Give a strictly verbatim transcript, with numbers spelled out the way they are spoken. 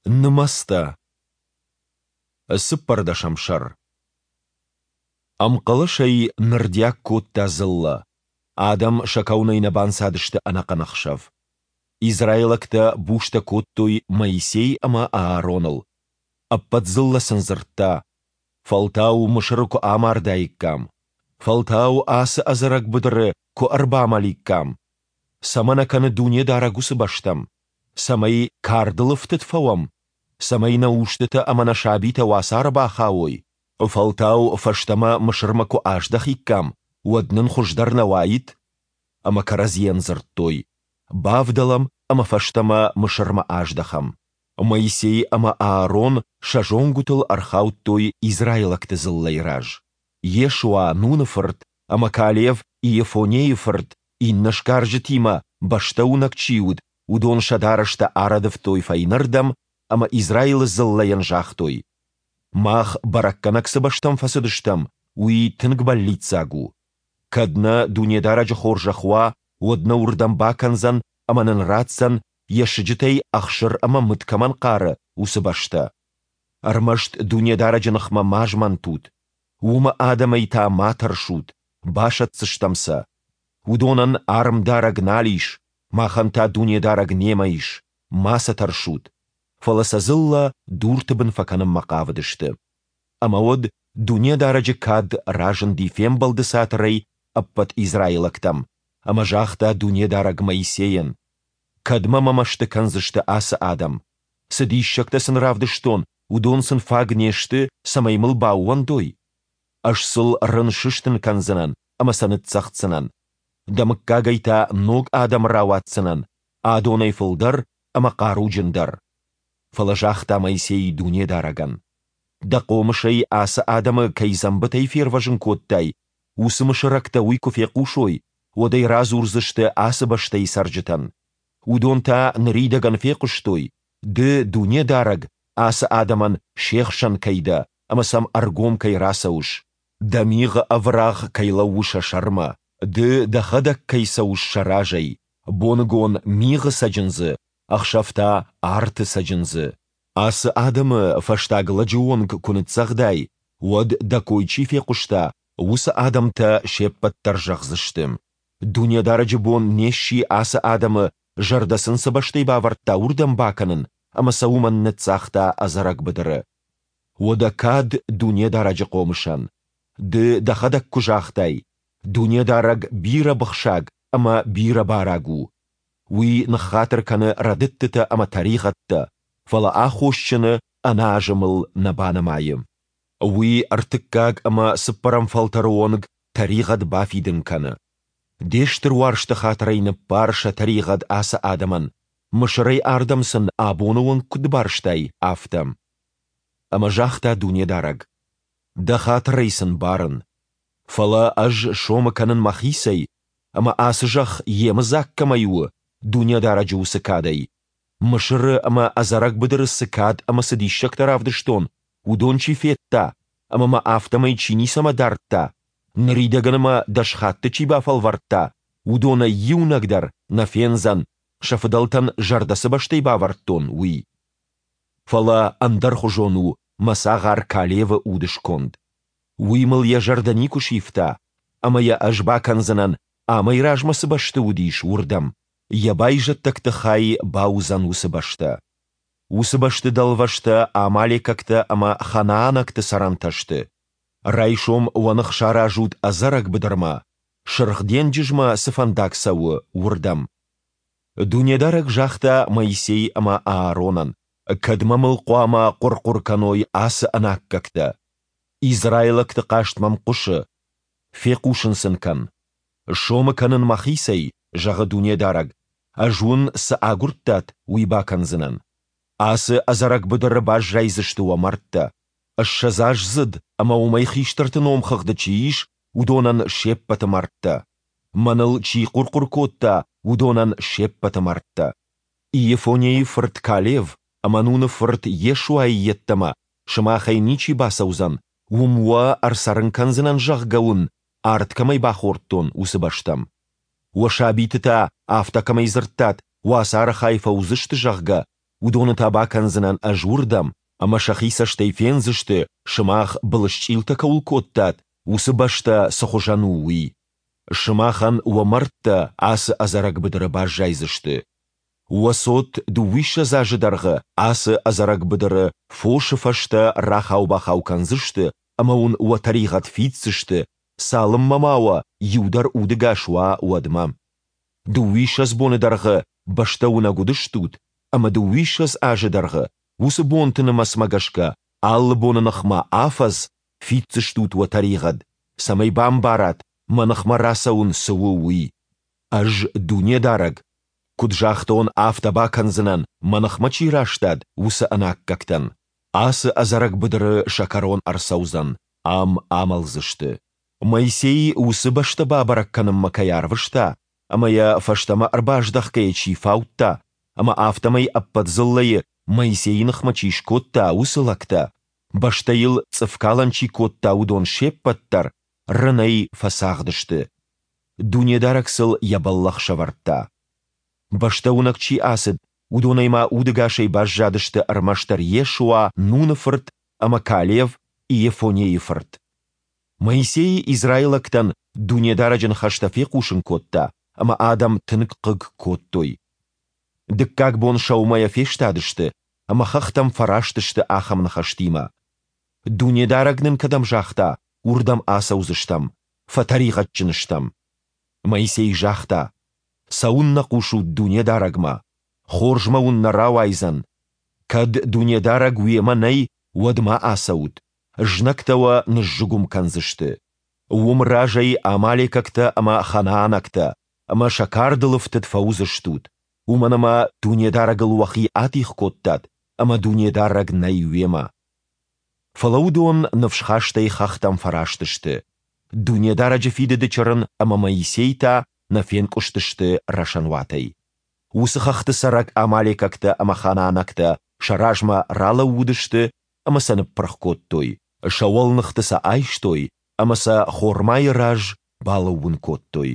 Нымӕцтӕ. Цыппӕрдӕсӕм сӕр. Ӕмхъӕлӕсӕй нырдиаг кодта дзыллӕ. Адӕм сӕ кӕуынӕй нӕ банцадысты ӕнӕхъӕн ӕхсӕв. Израилӕгтӕ бустӕ кодтой Моисей ӕмӕ Аароныл. Ӕппӕт дзыллӕ сын дзырдта: «Фӕлтау Мысыры куы амардаиккам! Фӕлтау ацы ӕдзӕрӕг быдыры куы ӕрбамӕликкам! Цӕмӕ нӕ кӕны Дунедарӕг уыцы бӕстӕм? Цӕмӕй кардыл ӕфтыд фӕуӕм? Цӕмӕй нӕ устытӕ ӕмӕ нӕ сабитӕ уацары бахауой? Фӕлтау фӕстӕмӕ Мысырмӕ куы аздӕхиккам, уӕд нын хуыздӕр нӕ уаид?» Ӕмӕ кӕрӕдзийӕн дзырдтой: «Бавдӕлӕм ӕмӕ фӕстӕмӕ Мысырмӕ аздӕхӕм». Моисей ӕмӕ Аарон сӕ зонгуытыл ӕрхаудтой израилӕгты дзыллӕйы раз. Йешуа, Нуны фырт, ӕмӕ Калев, Иефоннейы фырт, иннӕ сгарджытимӕ, бӕстӕ уынӕг чи уыд, уыдон сӕ дарӕстӕ арӕдывтой фӕйнӕрдӕм ӕмӕ Израилы дзыллӕйӕн загътой: «Мах бӕрӕггӕнӕг цы бӕстӕм фӕцыдыстӕм, уый тынг бӕллиццаг у. Кӕд нӕ Дунедарӕджы хорзӕх уа, уӕд нӕ уырдӕм бакӕндзӕн ӕмӕ нын ратдзӕн, йӕ сыджытӕй ӕхсыр ӕмӕ мыд кӕмӕн хъары, уыцы бӕстӕ. Ӕрмӕст Дунедарӕджы ныхмӕ ма змӕнтут. Уымы адӕмӕй та ма тӕрсут, басӕтдзыстӕм сӕ. Уыдонӕн армдарӕг нал ис, махӕн та Дунедарӕг немӕ ис, ма сӕ тӕрсут». Фӕлӕ сӕ дзыллӕ дурты бын фӕкӕнынмӕ хъавыдысты. Ӕмӕ уӕд Дунедарӕджы кад разынди Фембӕлды Цатырӕй ӕппӕт израилӕгтӕм, ӕмӕ загъта Дунедарӕг Моисейӕн: «Кӕдмӕ мӕ мӕсты кӕндзысты ацы адӕм? Цы диссӕгтӕ сын равдыстон, уыдон сын фаг не сты, цӕмӕй мыл баууӕндой? Ӕз сыл рын сыстын кӕндзынӕн ӕмӕ сӕ ныццӕгъддзынӕн. Дӕ мыггагӕй та ног адӕм рауадздзынӕн, адонӕй фылдӕр ӕмӕ хъаруджындӕр». Фӕлӕ загъта Моисей Дунедарӕгӕн: «Дӕ хъомысӕй ацы адӕмы кӕй дзӕмбытӕй фервӕзын кодтай, уыцы мысырӕгтӕ уый куы фехъусой, уӕд ӕй радзурдзысты ацы бӕстӕйы цӕрджытӕн. Уыдон та ныридӕгӕн фехъуыстой, Ды, Дунедарӕг, ацы адӕмӕн се хсӕн кӕй дӕ ӕмӕ сӕм ӕргом кӕй рацӕуыс, Дӕ мигъы ӕврагъ кӕй лӕууы сӕ сӕрмӕ, Ды Дӕхӕдӕг кӕй цӕуыс сӕ разӕй, боныгон мигъы цӕджындзы, ӕхсӕв та арты цӕджындзы. Ацы адӕмы фӕстаг лӕджы онг куы ныццӕгъдай, уӕд, дӕ кой чи фехъуыста, уыцы адӕмтӕ се ппӕт дӕр зӕгъдзысты: Дунедарӕджы бон не сси ацы адӕмы, зӕрдӕ сын цы бӕстӕй бавӕрдта, уырдӕм бакӕнын, ӕмӕ сӕ уымӕн ныццагъта ӕдзӕрӕг быдыры. Уӕдӕ кад Дунедарӕджы хъомысӕн! Ды дӕхӕдӕг куы загътай: Дунедарӕг бирӕ быхсаг ӕмӕ бирӕ бараг у. Уый ныххатыр кӕны рӕдыдтытӕ ӕмӕ тӕригъӕдтӕ, фӕлӕ аххосджыны ӕнӕазымыл нӕ банымайы. Уый ӕртыккаг ӕмӕ цыппӕрӕм фӕлтӕры онг тӕригъӕд бафидын кӕны. Де стыр уарзты хатырӕй ныббар сӕ тӕригъӕд ацы адӕмӕн, Мысырӕй ардӕм сын абоны онг куыд барстай, афтӕ. Ӕмӕ загъта Дунедарӕг: Дӕ хатырӕй сын барын. Фӕлӕ Ӕз сомы кӕнын мӕхицӕй, ӕмӕ ацы зӕхх йемыдзаг кӕмӕй у, Дунедарӕджы уыцы кадӕй. Мысыры ӕмӕ ӕдзӕрӕг быдыры цы кад ӕмӕ цы диссӕгтӕ равдыстон, уыдон чи федта ӕмӕ мӕ афтӕмӕй чи ницӕмӕ дардта, ныридӕгӕн мӕ дӕс хатты чи бафӕлвӕрдта, уыдонӕй иунӕг дӕр нӕ фендзӕн, сӕ фыдӕлтӕн зӕрдӕ цы бӕстӕй бавӕрдтон, уый. Фӕлӕ ӕндӕрхуызон у мӕ цагъар Калевы удысконд. Уый мыл йӕ зӕрдӕ никуы сивта, ӕмӕ йӕ ӕз бакӕндзынӕн, амӕй размӕ цы бӕсты уыдис, уырдӕм, йӕ байзӕддӕгты хай бауыдзӕн уыцы бӕстӕ. Уыцы бӕсты дӕлвӕзтӕ амалекӕгтӕ ӕмӕ ханаанӕгты цӕрӕнтӕ сты. Райсом уӕ ных саразут ӕдзӕрӕг быдырмӕ, Сырх денджызмӕ цы фӕндаг цӕуы, уырдӕм. Дунедарӕг загъта Моисей ӕмӕ Ааронӕн: «Кӕдмӕ мыл хъуамӕ хъуыр-хъуыр кӕной ацы ӕнаккӕгтӕ? Израилӕгты хъаст мӕм хъуысы. Фехъусын сын кӕн: Сомы кӕнын мӕхицӕй, зӕгъы Дунедарӕг, ӕз уын цы агуырдтат, уый бакӕндзынӕн. Ацы ӕдзӕрӕг быдыры баззайдзысты уӕ мӕрдтӕ. Ссӕдзаздзыд ӕмӕ уымӕй хистӕрты номхыгъды чи ис, уыдонӕн се ппӕты мӕрдтӕ. Мӕныл чи хъуыр-хъуыр кодта, уыдонӕн се ппӕты мӕрдтӕ. Иефоннейы фырт Калев ӕмӕ Нуны фырт Йешуайы йеддӕмӕ сымахӕй ничи бацӕудзӕн, уым уӕ ӕрцӕрын кӕндзынӕн, зӕгъгӕ уын ард кӕмӕй бахордтон, уыцы бӕстӕм. Уӕ сабиты та, афтӕ кӕмӕй дзырдтат, уацары хай фӕуыдзысты, зӕгъгӕ, уыдоны та бакӕндзынӕн Ӕз уырдӕм, ӕмӕ сӕхи цӕстӕй фендзысты, сымах былысчъилтӕ кӕуыл кодтат, уыцы бӕстӕ цыхуызӕн у, уый. Сымахӕн уӕ мӕрдтӕ ацы ӕдзӕрӕг быдыры баззайдзысты. Уӕ цот дыууиссӕдз азы дӕргъы ацы ӕдзӕрӕг быдыры фосы фӕстӕ рахау-бахау кӕндзысты ӕмӕ уын уӕ тӕригъӕд фиддзысты, цалынмӕ ма уӕ иу дӕр удӕгас уа, уӕдмӕ. Дыууиссӕдз боны дӕргъы бӕстӕ уынӕг уыдыстут, ӕмӕ дыууиссӕдз азы дӕргъы, уыцы бонты нымӕцмӕ гӕсгӕ, алы боны ныхмӕ афӕдз, фиддзыстут уӕ тӕригъӕд, цӕмӕй бамбарат, мӕ ныхмӕ рацӕуын цы у, уый. Ӕз, Дунедарӕг, куыд загътон, афтӕ бакӕндзынӕн, мӕ ныхмӕ чи растад, уыцы ӕнаккӕгтӕн. Ацы ӕдзӕрӕг быдыры сӕ кӕрон ӕрцӕудзӕн, ам амӕлдзысты. Моисей уыцы бӕстӕ бабӕрӕг кӕнынмӕ кӕй арвыста ӕмӕ йӕ фӕстӕмӕ ӕрбаздӕхгӕйӕ чи фаудта, ӕмӕ афтӕмӕй ӕппӕт дзыллӕйы Моисейы ныхмӕ чи скодта, уыцы лӕгтӕ, бӕстӕйыл цъыфкалӕн чи кодта, уыдон се ппӕт дӕр, рынӕй фӕцагъды сты. Дунедарӕг сыл Йӕ бӕллӕх сӕвӕрдта. Бӕстӕ уынӕг чи ацыд, уыдонӕй ма удӕгасӕй баззадысты ӕрмӕстдӕр Йешуа, Нуны фырт, ӕмӕ Калев, Иефонейы фырт. Моисей израилӕгтӕн Дунедарӕджы ныхӕстӕ фехъусын кодта, ӕмӕ адӕм тынг хъыг кодтой. Дыккаг бон сӕумӕйӕ фестадысты ӕмӕ хӕхтӕм фӕраст сты ахӕм ныхӕстимӕ: Дунедарӕг нын кӕдӕм загъта, уырдӕм ацӕудзыстӕм, фӕтӕригъӕдджын стӕм. Моисей загъта: Цӕуыннӕ хъусут Дунедарӕгмӕ? Хорзмӕ уын нӕ рауайдзӕн. Кӕд Дунедарӕг уемӕ нӕй, уӕд ма ацӕут, знӕгтӕ уӕ ныззыгуым кӕндзысты. Уым разӕй амалекӕгтӕ ӕмӕ ханаанӕгтӕ, ӕмӕ сӕ кардыл ӕфтыд фӕуыдзыстут, уымӕн ӕмӕ Дунедарӕгыл уӕхи атигъ кодтат, ӕмӕ Дунедарӕг нӕй уемӕ. Фӕлӕ уыдон ныфсхастӕй хӕхтӕм фӕраст сты. Дунедарӕджы Фидыды Чырын ӕмӕ Моисей та нӕ фенкъуыстысты рӕсӕнуатӕй. Уыцы хӕхты цӕрӕг амалекӕгтӕ ӕмӕ ханаанӕгтӕ сӕ размӕ ралӕууыдысты ӕмӕ сӕ ныппырх кодтой, сӕ уӕлныхты сӕ айстой ӕмӕ сӕ Хормайы раз балӕууын кодтой.